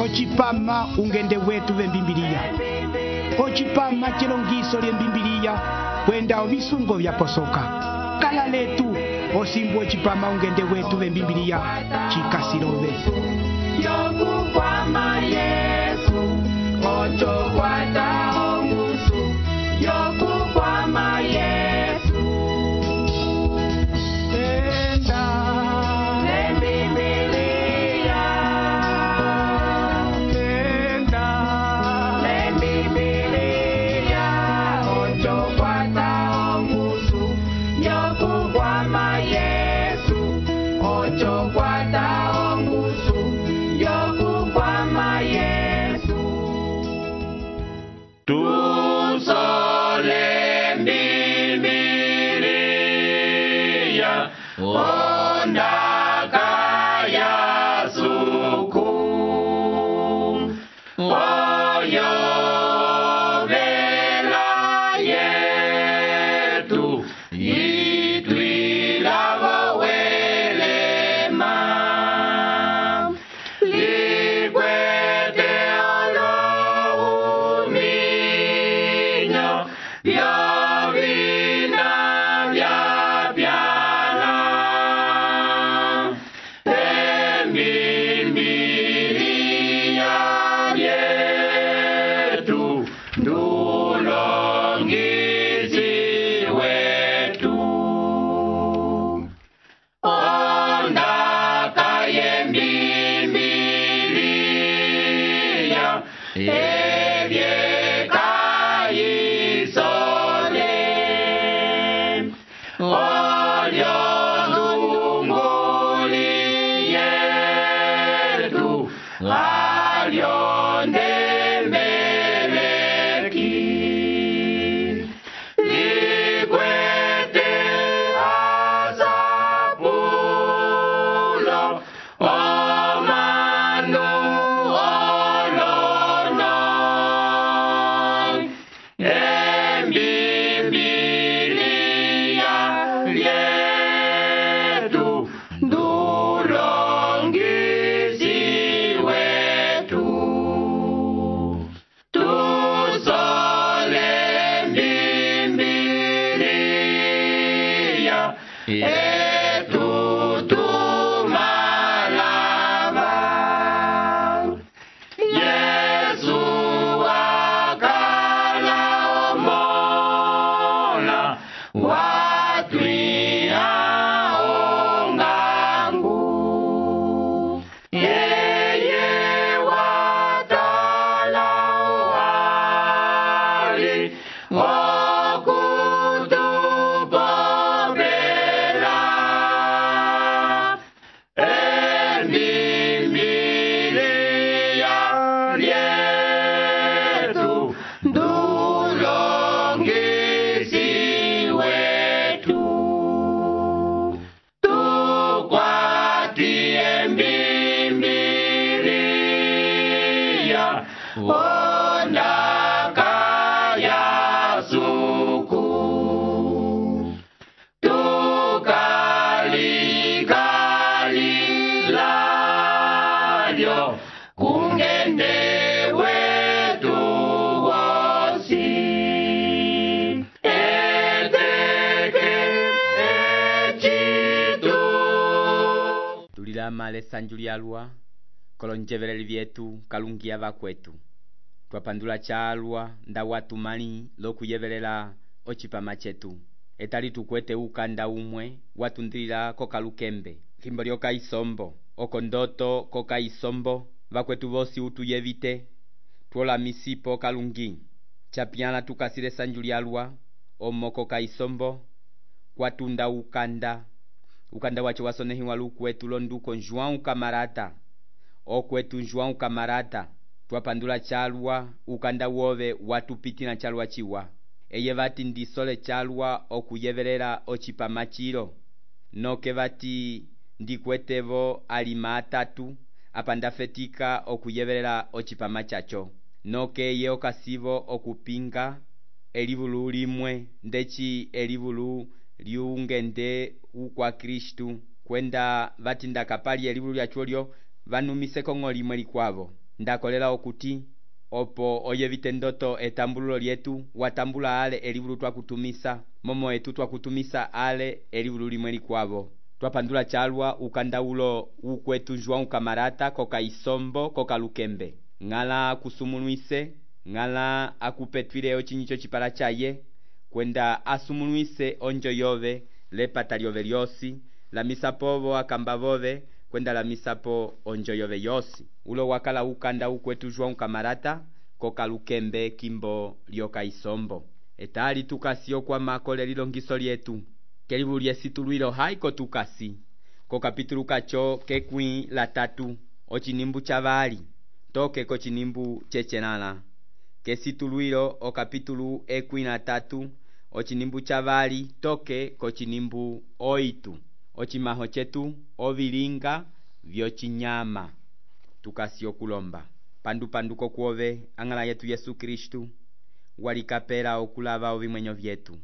ocipama ungende wetu vembimbiliya, ocipama cilongiso lyembimbiliya kwenda ovisungo vyaposoka. Kala letu osimbu ocipama ungende wetu vembimbiliya cikasilove. Yokukwama Yesu, ochokwata ongusu. Yokukwama Yesu, Enda Lembibiliya, enda Lembibiliya, ochokwata ongusu. Yokukwama Yesu, ochokwata ongusu. Yokukwama Yesu. Tusole Mbibiliya, ondaka ya suku. Oyo vela yetu, itwilavo welema. Likwete olohuminyo, vyovina vyapyana. Embimbiliya yetu, ndulongisi wetu. Ondaka yembimbiliya, evyekayisole. Olyo ndunguli yetu, alyo ndembeleki. Likwete asapulo, omanu olono. Embimbiliya yetu, ndulongisi wetu. Tusole Mbibiliya, etutumalava. Yesu wakala omola, watwiha ongangu. Yeye watala wali, okutupopela. Embimbiliya yetu, ndulongisi wetu. Tukwati embimbiliya, ondaka ya suku. Tukalikalilyo, kungende wetu wosi. Eteke echitu. Tulilama lesanju lyalwa kolonjeveleli vyetu kalungia vakwetu. Twapandula chalwa nda watu mali lokuyevelela ocipama chetu. Etali tukwete ukanda umwe watundilila kokalukembe. Thimbo lyoka isombo, okondoto koka isombo, vakwetu vosi utuyevite. Twola misipo kalungi. Chapiana tukasile sanju lyalwa, omo koka isombo, kwatunda ukanda. Ukanda wacho wasonehiwa lukwetu londuko João Camarata. Okwetu João Camarata. Twapandula chalwa, ukanda wove watupitila chalwa chiwa. Eye vati ndisole chalwa okuyevelela ocipama chilo. Noke vati ndikwetevo alima atatu, apandafetika okuyevelela ocipama chacho. Noke ye okasivo okupinga elivulu limwe ndechi elivulu liungende ukwa Kristu kwenda vatinda kapali elivulu lyachulyo vanumise kongo limwe likwavo. ndakolela okuti opo oyevite ndoto etambululo lyetu watambula ale elivulu twakutumisa momo etu twakutumisa ale elivulu limwe likwavo. Twapandula chalwa ukandaulo ukwetu João Camarata koka isombo koka lukembe ngala kusumulwise ngala akupetwile ochinyicho chipala chaye kwenda asumulwise onjo yove lepata lyove lyosi la misapovo akamba vove kwenda la misapo onjo yove yosi ulo wakala ukanda ukwetu João Camarata koka lukembe kimbo lyoka isombo etali tukasio kwa makole lilongiso lyetu kelivulu lyesitulwilo haiko tukasi ko kapitulu kacho kekwi la 3 ochinimbu chavali toke ko chinimbu chechenala kesitulwilo o kapitulu ekwi la 3 ochinimbu chavali toke ko chinimbu 8 ochimaho chetu ovilinga vyochinyama tukasio kulomba panduko kuove angala yetu Yesu Kristu walikapela okulava ovimwenyo vyetu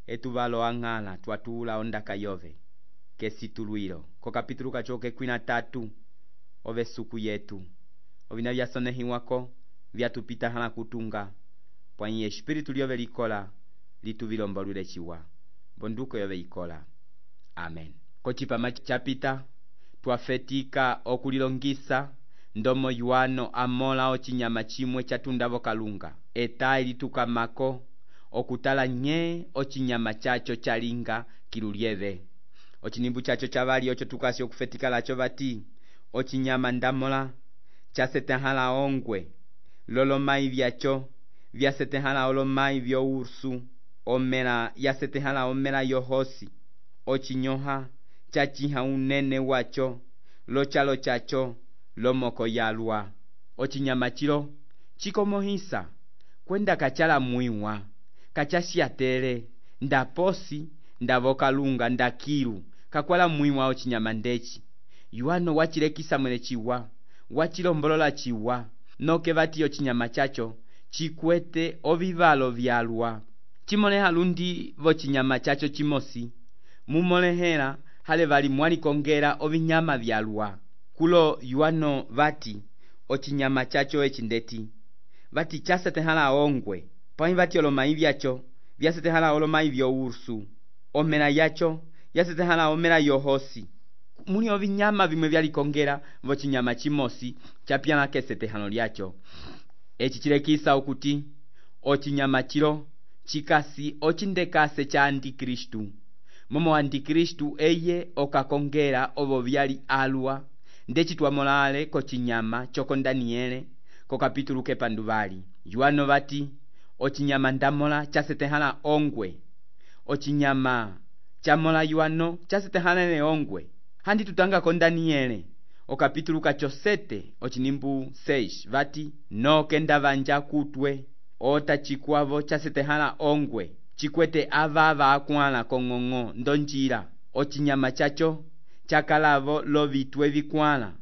etuvalo angala twatula ondaka yove kesitulwilo ko kapitulu kacho kekwi la 3 ove suku yetu ovina vyasonehiwako vyatupita hala kutunga pwanyi espiritu lyove likola lituvilombolule chiwa bonduko yove ikola amen. Kochipama chapita twafetika okulilongisa ndomo Yuano amola ochinyama chimwe chatundavo kalunga eta ilitukamako okutala nye ochinyama chacho chalinga kilulieve ochinimbu chacho chavali ocho tukasi okufetika lacho vati ochinyama ndamola chasetehala ongwe lolomai vyacho vyasetehala olomai vyo ursu omela yasetehala omela yohosi ochinyoha chachiha unene wacho lochalo chacho lomoko yalwa ochinyama chilo chikomohisa kwenda kachala mwiwa kachashiatele ndaposi ndavokalunga ndakilu kakwala mwiwa ochinyama ndechi Yuano wachilekisa mwene chiwa wachilombolola chiwa noke vati ochinyama chacho chikwete ovivalo vyalwa chimoleha lundi vochinyama chacho chimosi mumolehela hale vali mwalikongela ovinyama vyalwa kulo Yuano vati ochinyama chacho echindeti vati chasetehala ongwe pwanyi vati olomai vyacho vyasetehala olomai vyo ursu omela yacho yasetehala omela yohosi muli ovinyama vimwe vyalikongela vochinyama chimosi chapyana kesetehano lyacho echi chilekisa okuti ochinyama chilo chikasi ochindekase cha Antikristu momo Antikristu eye okakongela ovo vyali alwa ndechi twamolale ko chinyama choko Daniele ko kapitulu kepanduvali Yuano vati ochinyama ndamola chasetehala ongwe ochinyama chamola Yuano chasetehala ne ongwe handi tutanga ko Daniele o kapitulu kacho 7 ochinimbu 6 vati no kenda vanja kutwe ota chikwavo chasetehala ongwe chikwete avava akwala kong'ong'o ndonjira ochinyama chacho chakalavo lovitwe vikwala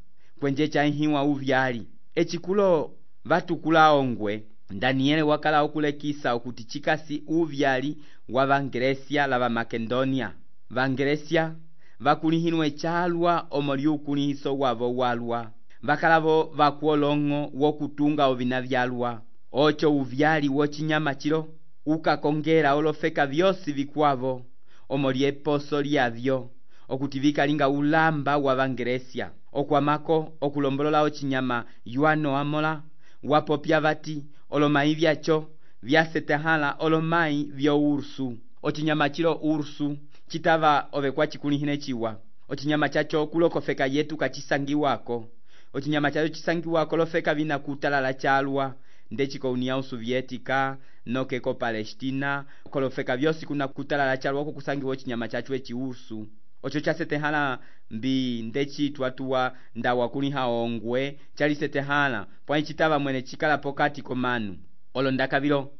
kwenje chahiwa uvyali echikulo vatukula ongwe Daniele wakala okulekisa okuti chikasi uvyali wa Vangresia lava Makedonia Vangresia vakulihinwe chalwa omoli ukulihiso wavo walwa vakalavo vakuolongo wokutunga ovina vyalwa ocho uvyali wochinyama chilo ukakongela olofeka vyosi vikwavo omoli eposo lyavyo okuti vikalinga ulamba wa Vangresia okwamako okulombolola ochinyama Yuano amola wapopya vati olomai vyacho vyasetehala olomai vyo ursu ochinyama chilo ursu chitava ovekwa chikulihine chiwa ochinyama chacho kulokofeka yetu kachisangiwako ochinyama chacho chisangiwako lofeka vina kutalala chalwa ndechiko União Soviética nokeko Palestina kolofeka vyosi kuna kutalala chalwa kukusangiwa ochinyama chacho echi ursu ocho chasetehala mbi ndechi twatuwa ndawa kuliha ongwe chalisetehala pwanyi chitava mwene chikala pokati komanu olondaka vilo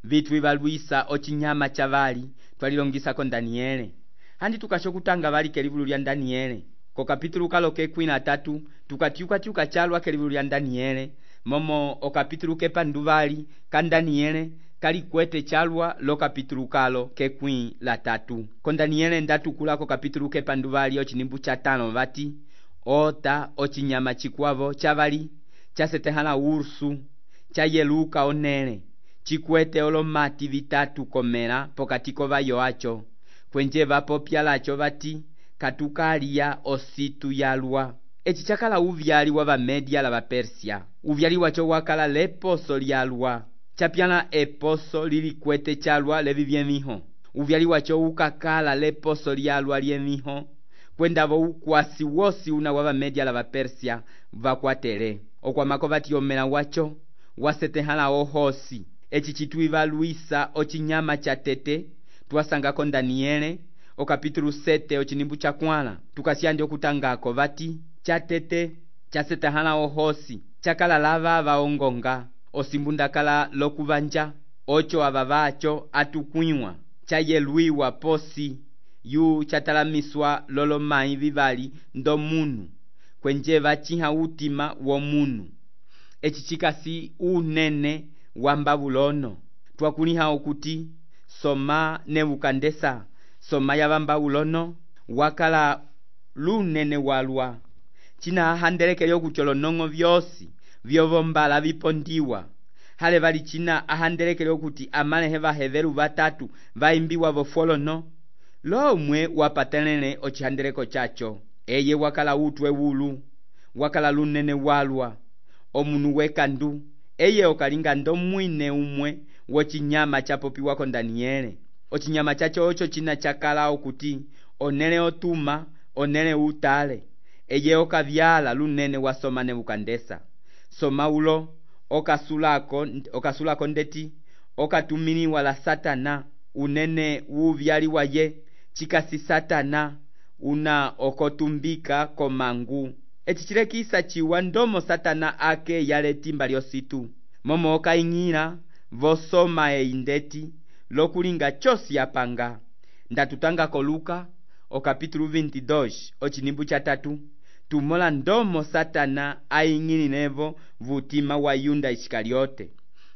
vitu vivalwisa ochinyama chavali twalilongisa ko Daniele handi tukashokutanga vali kelivulu lya Daniele ko kapitulu kalo kekwi la 3 tukatiuka chalwa kelivulu lya Daniele momo o kapitulu kepanduvali ka Daniele kali kwete chalwa lo kapitulu kalo kekwi la 3 ko Daniele ndatukula ko kapitulu kepanduvali ochinimbu cha 5 vati ota ochinyama chikwavo chavali chasetehãla ursu chayeluka onẽle cikwete olomati vitatu komẽla pokati k'ovayo aco kwenje vapopya laco vati katukalya ositu yalwa. Eci cakala uvyali wa Vamedia la Vapersia. Uvyali waco wakala leposo lyalwa capyala eposo lilikwete calwa levivyemiho. Uvyali waco ukakala leposo lyalwa lyemiho kwendavo ukwasi wosi una wa Vamedia la Vapersia vakwatele okwamako vati omela waco wasetehãla ohosi. Eci citwivaluisa ocinyama ca tete twasangako Daniele okapitulu 7 ocinimbu ca 4 tukasyandi okutangako vati ca tete casetehãla ohosi cakala lava vaongonga osimbundakala lokuvanja oco ava vaco atukwĩwa cayelwiwa posi yu catalamiswa lolomai vivali ndomunu kwenje vacĩha utima womunu. Eci cikasi unene wa Mbabulono twakuliha okuti Soma Nebukandesa. Soma ya Vambabulono wakala lunene walwa cina ahandelekele okuti olonong'o vyosi vyovombala vipondiwa hale vali cina ahandelekele okuti amalehe vahevelu vatatu vaimbiwa vofolono lomwe wapatelele ocihandeleko caco. Eye wakala utwe wulu wakala lunene walwa omunu wekandu. Eye okalinga ndomwine umwe wocinyama capopiwako Daniele. Ocinyama caco oco cina cakala okuti onele otuma onele utale. Eye okavyala lunene wa Soma Nebukandesa. Soma ulo okasulako ndeti okatumiliwa la Satana unene uvyali waye cikasi Satana una okotumbika komangu. Eci cilekisa ciwa ndomo Satana ake yale timba lyositu momo okaing'ila vosoma eindeti lokulinga cosi yapanga. Ndatutangako Luka okapitulu 22 ocinimbu ca 3 tumola ndomo Satana aing'ililevo vutima wa Yuda Iskariote.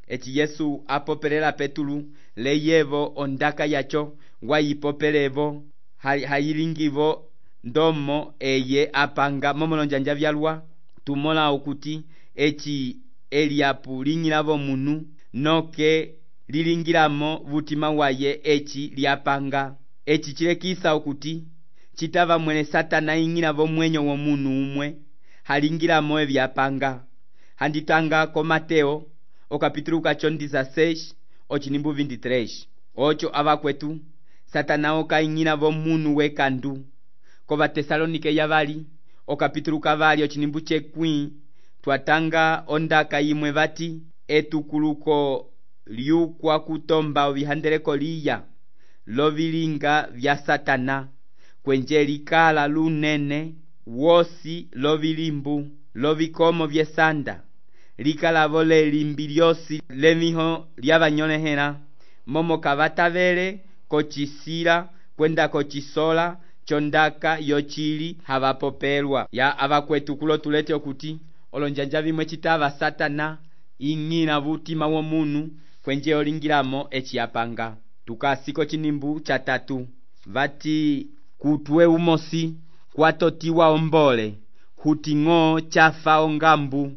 Eci Yesu apopelela Petulu leyevo ondaka yaco wayipopelevo hayilingivo ndomo eye apanga momolonjanja vyalwa tumola okuti eci eliapu ling'ilavo munu noke lilingilamo vutima waye eci lyapanga. Eci cilekisa okuti citava mwele Satana ing'ilavo mwenyo womunu umwe halingilamo evyapanga. Handitanga ko Mateo okapitulu kaco 16 ocinimbu 23 oco avakwetu Satana okaing'ilavo munu wekandu. Ko Vatesalonike yavali okapitulu kavali ocinimbu cekwĩ twatanga ondaka yimwe vati etukuluko lyukwa kutomba ovihandeleko liya lovilinga vya Satana kwenje likala lunene wosi lovilimbu lovikomo vyesanda likalavo lelimbi lyosi lemiho lyavanyolehela momo kavatavele kocisila kwenda kocisola chondaka yocili havapopelwa ya avakwetu kulo tulete okuti olonjanja vimwe citava Satana ing'ila vutima womunu kwenje olingilamo eci yapanga. Tukasiko cinimbu ca 3 vati kutwe umosi kwatotiwa ombole huting'o cafa ongambu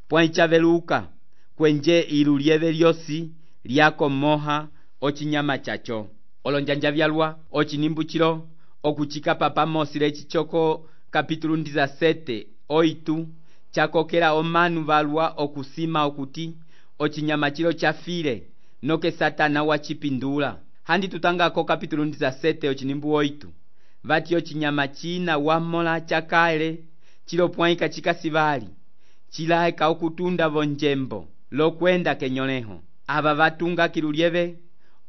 pwãyi caveluka kwenje ilu lyeve lyosi lyakomoha ocinyama caco. Olonjanja vyalwa ocinimbu cilo okucikapa pamosi leci coko kapitulu 17 8 cakokela omanu valwa okusima okuti ocinyama cilo cafile noke Satana wacipindula. Handi tutangako kapitulu 17 ocinimbu 8 vati ocinyama cina wamola cakale cilo pwãyika cikasivali cilaeka okutunda vonjembo lokwenda kenyoleho. Ava vatunga kilu lyeve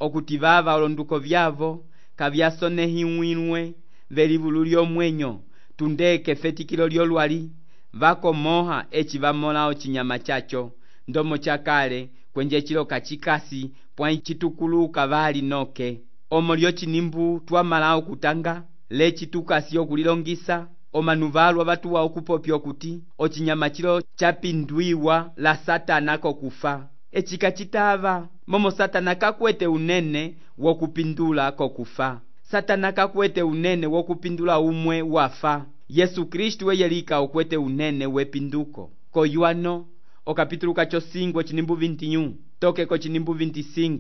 okuti vava olonduko vyavo kavyasonehiwilwe velivulu lyomwenyo tundeke fetikilo lyolwali vakomoha eci vamola ocinyama caco ndomo cakale kwenje cilo kacikasi pwãyi citukuluka vali noke. Omo lyocinimbu twamala okutanga leci tukasi okulilongisa omanu valwa vatuwa okupopya okuti ocinyama cilo capindwiwa la Satana kokufa. Eci kacitava momo Satana kakwete unene wokupindula kokufa. Satana kakwete unene wokupindula umwe wafa. Yesu Kristu weyelika okwete unene wepinduko. Koyuano o capítulo cacho 5 ochinimbu 21 toke cochinimbu 25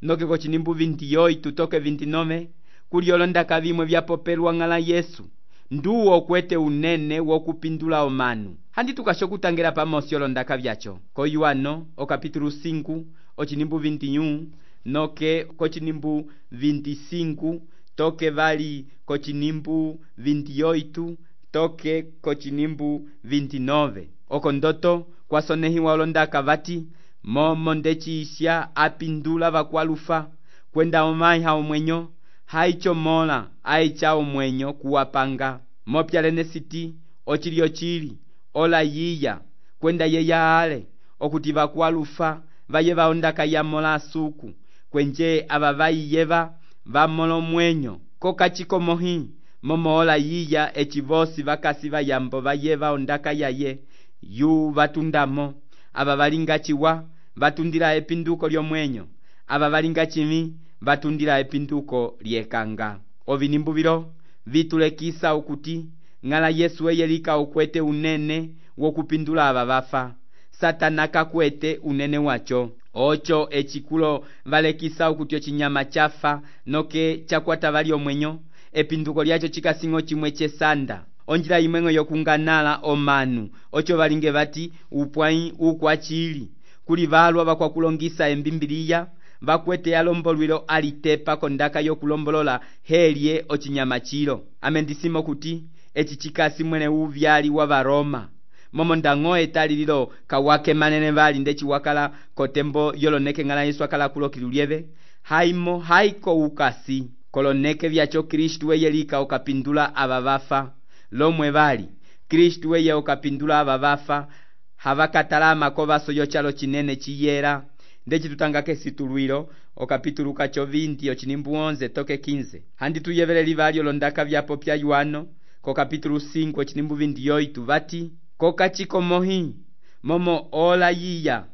noke cochinimbu 28 toke 29 kuli olondaka vimwe vyapopelwa ng'ala Yesu nduwo kwete unene wokupindula omanu. Handi tukasho kutangela pamosi olondaka vyacho koyuano o capítulo 5 ochinimbu 21 noke cochinimbu 25 toke vali cochinimbu 28 toke cochinimbu 29 okondoto kwasonehiwa olondaka vati momo ndechisha apindula vakwalufa kwenda omaiha omwenyo haichomola aicha omwenyo kuwapanga mopyalene siti ochili ola yiya kwenda yeya ale okuti vakwalufa vaye vaondaka yamola asuku kwenje ava vaiyeva vamolo mwenyo kokachikomohi momo ola yiya echivosi vakasi vayambo vaye vaondaka yaye yu vatundamo ava valingachiwa vatundila epinduko lyomwenyo ava valingachimi vatundila epinduko lyekanga. Ovinimbu vilo vitulekisa ukuti ng'ala Yesu eyelika ukwete unene wokupindula ava vafa. Satana kakwete unene wacho ocho echikulo valekisa ukuti ochinyama chafa noke chakwata vali omwenyo epinduko lyacho chikasingo chimwe chesanda onjila imwengo yokunganala omanu ocho valinge vati upwai ukwachili kuli valwa vakwakulongisa embimbiliya vakwete alombolwilo alitepa kondaka yokulombolola helye ochinyama chilo amendisimo kuti echi chikasi mwene uvyali wa Varoma momo ndango etalililo kawake manene vali ndechi wakala kotembo yoloneke ng'ala Yesu akala kulokilulyeve haimo haiko ukasi koloneke vyacho Kristu eyelika okapindula ava vafa lomwe vali Kristu eye okapindula ava vafa havakatalama kovaso yochalo chinene chiyera ndechi tutangake situlwilo o capítulo cacho 20 ochinimbu 11 toke 15 handi tuyeveleli vali olondaka vyapo pya yuano ko capítulo 5 ochinimbu 28 vati kokachikomohi momo ola yiya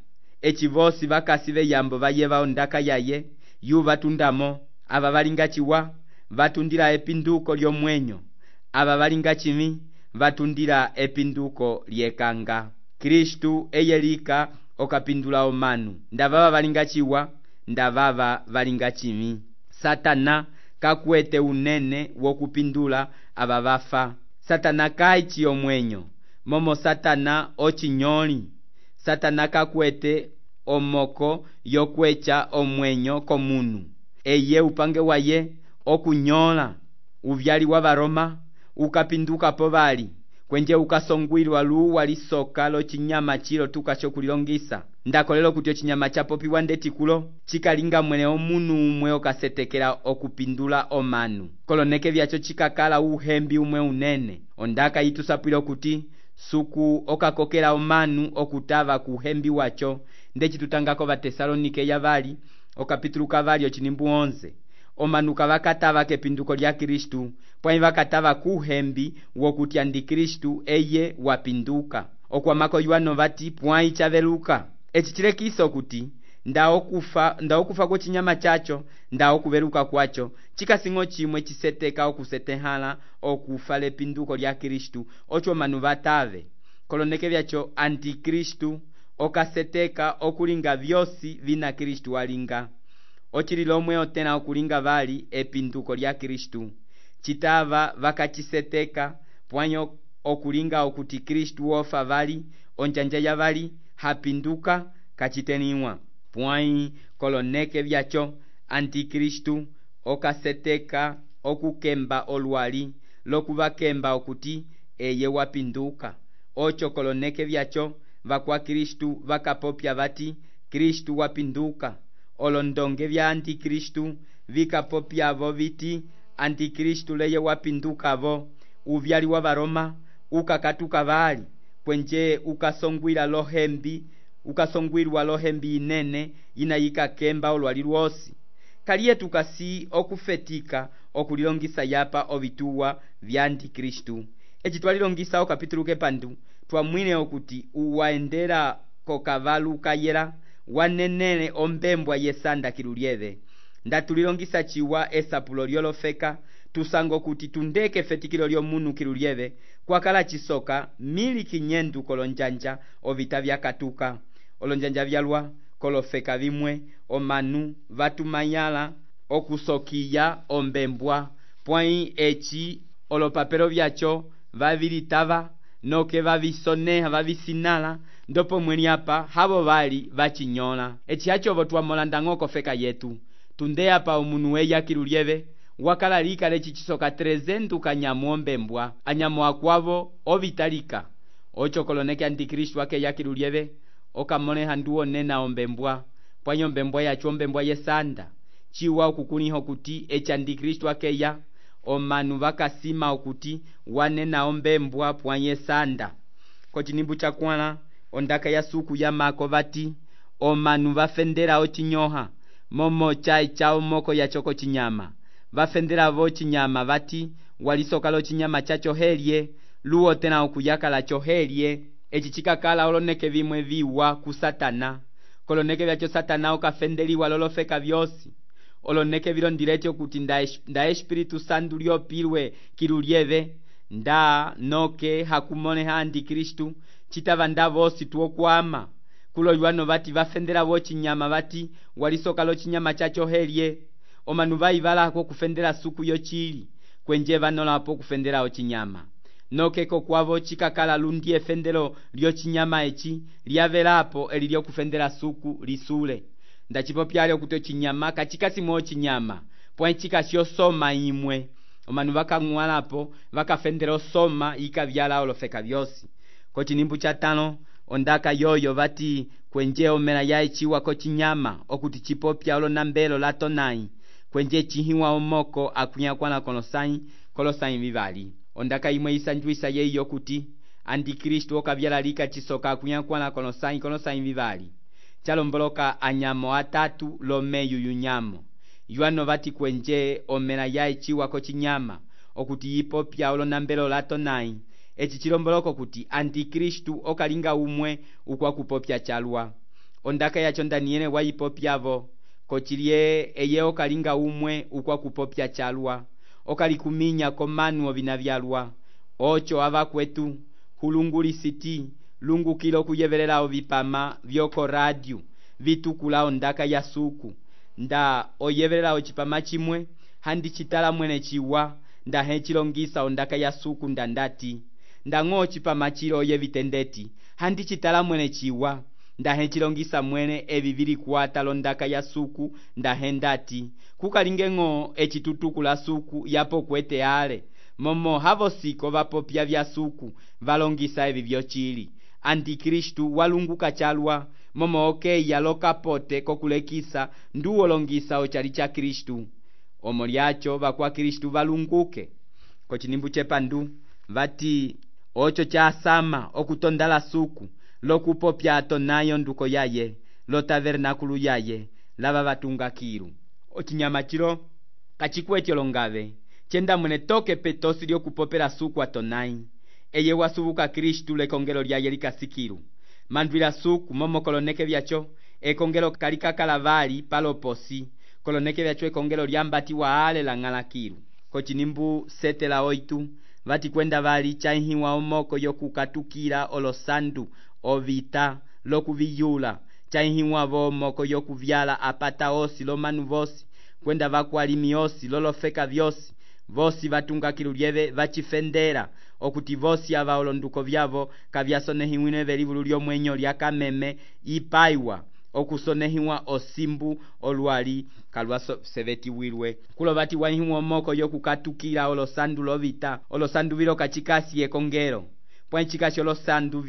echivosi vakasi veyambo vaye vaondaka yaye yu vatundamo ava valingachiwa vatundila epinduko lyomwenyo ava valingachimi vatundila epinduko lyekanga. Kristu eyelika okapindula omanu ndavava valingachiwa ndavava valingachimi. Satana kakwete unene wokupindula ava vafa. Satana kaichi omwenyo momo Satana ochinyoli. Satana kakwete omoko yokwecha omwenyo komunu eye upange waye okunyola uvyali wa Varoma ukapinduka po vali kwenje ukasongwilwa luwa lisoka lochinyama chilo tukacho kulilongisa ndakolelo kuti ochinyama chapopiwa ndetikulo chikalinga mwene omunu umwe okasetekela okupindula omanu koloneke vyacho chikakala uhembi umwe unene ondaka yitusapwilo kuti suku okakokela omanu okutava kuhembi wacho ndechi tutangako vatesalonike yavali o capítulo kavali ochinimbu 11 omanu kavakatava kepinduko lya Kristu pwai vakatava kuhembi wokuti andi Kristu eye wapinduka okwamako yuano vati pwai chaveluka echi chilekiso kuti ndaokufa kwa chinyama chacho ndaokuveluka kwacho chikasingo chimwe chiseteka okusetehala okufa lepinduko lya Kristu ocho manu vatave koloneke vyacho antikristu okaseteka okulinga vyosi vina Kristu alinga ochililomwe otena okulinga vali epinduko lya Kristu chitava vakachiseteka pwanyo okulinga okuti Kristu wofa vali onjanja ya vali hapinduka kachiteniwa pwai koloneke vyacho antikristu okaseteka okukemba olwali lokuvakemba okuti eye wapinduka ocho koloneke vyacho vakwa Kristu vakapopya vati Kristu wapinduka olondonge vya antikristu vikapopyavo viti antikristu leye wapindukavo uvyali wa Varoma ukakatuka vali kwenje ukasongwilwa lohembi inene inayikakemba olwali lwosi kaliye tukasi okufetika okulilongisa yapa ovituwa vya antikristu eci twalilongisa okapitulu kepandu twamwine okuti uwaendera kokavalu kayela wanenele ombembwa yesanda kilulyeve ndatulilongisa chiwa esapulo lyolofeka tusango kuti tundeke efetikilo lyomunu kilulyeve kwakala chisoka 1500 kolonjanja ovita vyakatuka olonjanja vyalwa kolofeka vimwe omanu vatumayala okusokiya ombembwa pwai eci olopapelo vyacho vavilitava noke vavisoneha vavisinala ndopo mweni apa havo vali vachinyola eci hachovo twamolanda ng'o kofeka yetu tunde apa omunu weya kilulyeve wakala lika leci chisoka 300 kanyamu ombembwa anyamu akwavo ovitalika ocho koloneke antikristu akeya kilulyeve okamoleha nduwo nena ombembwa pwanyo ombembwa yacho ombembwa yesanda chiwa okukuniha okuti eci antikristu akeya omanu vakasima okuti wanena ombembwa pwanye sanda kocinimbu chakwala ondaka ya suku ya mako vati omanu vafendera ochinyoha momo chai chao moko ya choko chinyama vafendera vo chinyama vati walisoka lo chinyama chacho helye luo tena okuyakala chohelye eci chikakala oloneke vimwe viwa ku satana koloneke vyacho satana okafendeliwa lolofeka vyosi oloneke vilondileche okuti nda espiritu santu lyopilwe kilulyeve nda noke hakumoneha antikristu citava nda vosi tuokwama kuloywano vati vafendera vo chinyama vati walisoka lo chinyama chacho helye omanu vaivalako kufendera suku yochili kwenje vanolapo kufendera ochinyama nokeko kwavo chikakala lundi efendero lyochinyama eci lyavelapo eli lyokufendera suku lisule ndachipopyale okuti ochinyama kachikasimwe ochinyama pwai chikasiosoma imwe omanu vakang'walapo vakafendera osoma ikavyala olofeka vyosi kocinimbu chatano ondaka yoyo vati kwenje omela ya eciwa kochinyama okuti chipopya olonambelo latonai kwenje chihiwa omoko akunyakwana kolosai vivali ondaka imwe isanjuisa yeiyo kuti antikristu okavyala lika chisoka akunyakwana kolosai vivali chalomboloka anyamo atatu lomeyu yunyamo yuano vati kwenje omela ya eciwa kochinyama okuti yipopya olonambelo latonai eci chilomboloko kuti antikristu okalinga umwe ukwakupopya chalwa ondaka yacho ndaniele wayipopyavo kochilye eye okalinga umwe ukwakupopya chalwa okalikuminya komanu ovina vyalwa ocho ava kwetu hulungulisiti lungukilo kuyevelela ovipama vyoko radio vitukula ondaka ya suku nda oyevelela ochipama chimwe handi chitala mwene chiwa nda hechilongisa ondaka ya suku ndandati ndang'o ochipama chilo oyevitendeti handi chitala mwene chiwa nda hechilongisa mwene evi vili kuata londaka ya suku nda hendati kukalinge ng'o ecitutukula suku yapo kwete ale momo havosiko vapopya vya suku valongisa evi vyochili antikristu walunguka chalwa momo okeya lokapote kokulekisa nduwolongisa ochali cha kristu omo lyacho vakwa kristu valunguke kocinimbu chepandu vati ocho chasama okutondala suku lokupopya atonayo nduko yaye lo tabernakulu yaye lava vatungakilu ochinyama chilo kachikwetyo longave chenda mwene toke petosi lyokupopela suku atonai eye wasubuka kristu lekongelo lyaye likasikilu mandwila suku momo koloneke vyacho ekongelo kalikakala vali paloposi koloneke vyacho ekongelo lyambatiwa ale la ng'alakilu kocinimbu 7:8 vati kwenda vali chaihiwa omoko yokukatukila olosandu ovita lokuviyula chaihiwa omoko yokuvyala apata osi lomanu vosi kwenda vakwalimi osi lolofeka vyosi vosi vatunga kilulyeve vachifendera okuti vosi ava olonduko vyavo kavyasonehiwine velivulu lyomwenyo lyakameme ipaiwa okusonehiwa osimbu olwali kalwasevetiwilwe kulo vati waihiwa omoko yokukatukila olosandu lovita olosandu vilo kachikasi ekongelo pwanchikasi olosandu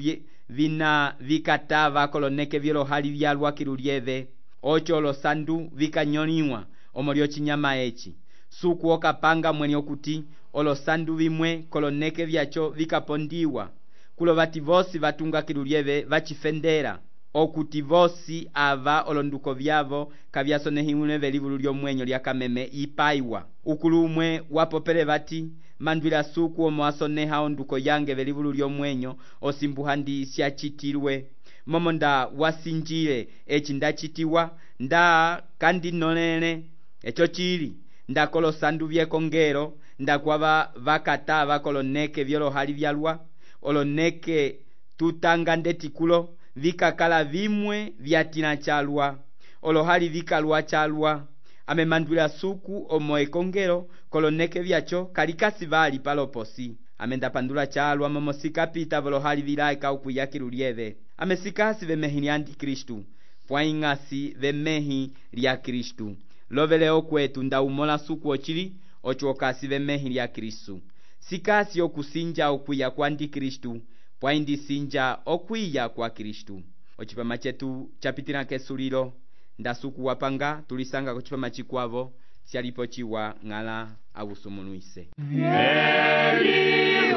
vina vikatava koloneke vyolohali vyalwa kilulyeve ocho olosandu vikanyoliwa omo lyochinyama eci suku okapanga mweni okuti olosandu vimwe koloneke vyacho vikapondiwa kulo vati vosi vatunga kilulyeve vachifendera okuti vosi ava olonduko vyavo kavyasonehiwile velivulu lyomwenyo lyakameme ipaiwa ukulu umwe wapopele vati mandwila suku omo asoneha onduko yange velivulu lyomwenyo osimbu handi syachitilwe momo nda wasinjile eci ndachitiwa nda kandinolele echo chili ndakolosandu vyekongelo ndakwava vakatava koloneke vyolohali vyalwa oloneke tutanga ndetikulo vikakala vimwe vyatina calwa olohali vikalwa calwa amemandwila suku omo ekongelo koloneke vyacho kalikasi vali paloposi amendapandula calwa momo sikapita volohali vilaika ukwiyakilu lyeve amesikasi vemehi lya antikristu pwaing'asi vemehi lya kristu lovele okwetu ndaumola suku ocili oco okasi vemehi lya kristu sikasi okusinja okwiya kwa antikristu pwaindisinja okwiya kwa kristu ocipama cetu capitila kesulilo ndasuku wapanga tulisanga kocipama cikwavo syalipo ciwa ng'ala awusumulwise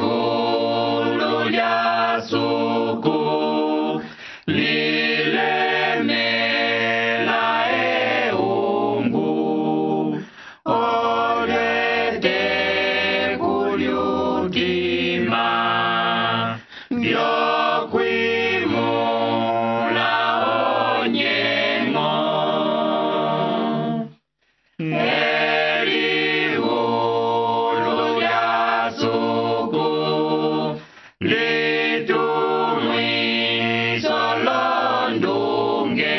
Elihulu lya suku lilemela eungu olete kulyutima vyokwimula onyengo Elihulu lya suku litumwiso londunge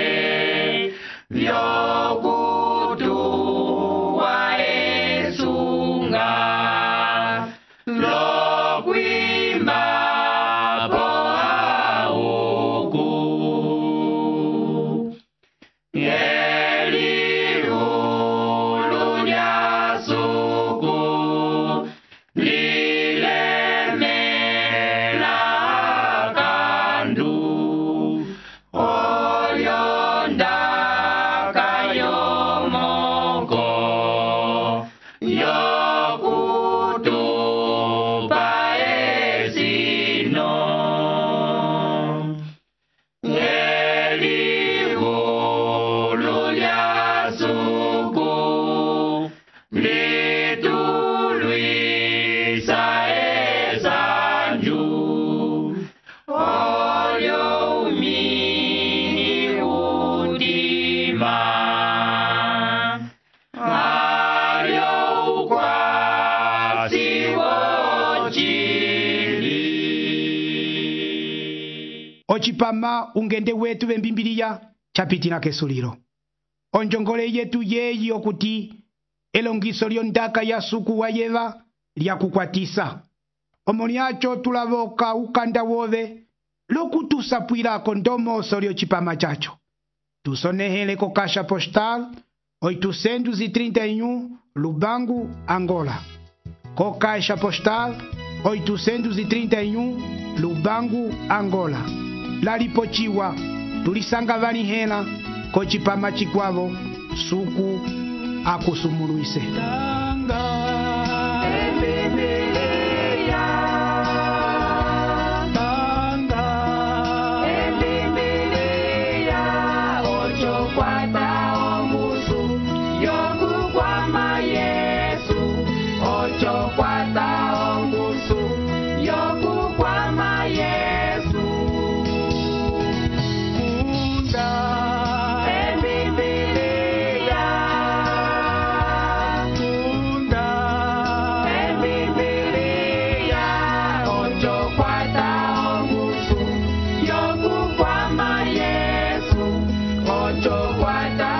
vyokutuwa esunga lokwimba po auku Elihulu lya suku lilemela kandu olyondaka yomoko yokutupa esino Elihulu lya suku litulwisa esanju olyo umini udima alyo ukwasi wocili ocipama ungende wetu vembimbiliya capitila kesulilo onjongole yetu yeyi okuti elongiso lyondaka ya suku wayeva lyakukwatisa omo lyaco tulavoka ukanda wove lokutusapwilako ndomoso lyocipama caco tusonehele ko caixa postal 831 Lubangu, Angola. Co caixa postal 831 Lubangu, Angola. Lalipochiwa tulisanga vanihela kocipama cikwavo suku akusumulwise. Ocho cuarta